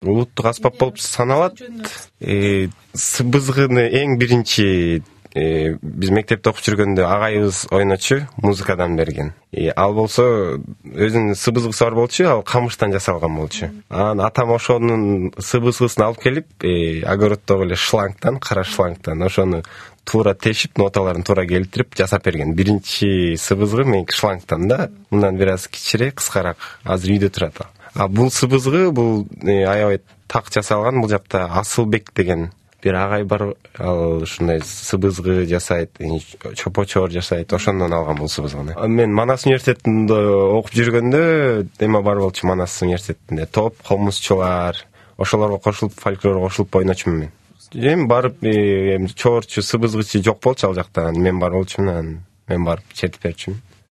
улуттук аспап болуп саналат. Сыбызгыны эң биринчи биз мектепте окуп жүргөндө агайыбыз ойночу, музыкадан берген. Ал болсо өзүнүн сыбызгысы бар болчу, ал камыштан жасалган болчу. Анан атам ошонун сыбызгысын алып келип, огороддогу эле шлангтан, кара шлангтан ошону туура тешип, ноталарын туура келтирип жасап берген. Биринчи сыбызгы меники шлангтан да, мындан бир аз кичирэк, кыскараак. Азыр үйдө турат ал. Бул сыбызгы, бул аябай так жасалган. Бул жакта Асылбек деген бир агай бар, ал ушундай сыбызгы жасайт, чопочор жасайт, ошондон алган бул сыбызгыны. Мен Манас университетинде окуп жүргөндө эме бар болчу, Манас университетинде топ, комузчулар, ошолорго кошулуп, фольклорго кошулуп ойночумун мен. Эми барып чоорчу, сыбызгычы жок болчу ал жакта. Мен бар болчумун, мен барып чертип берчүмүн.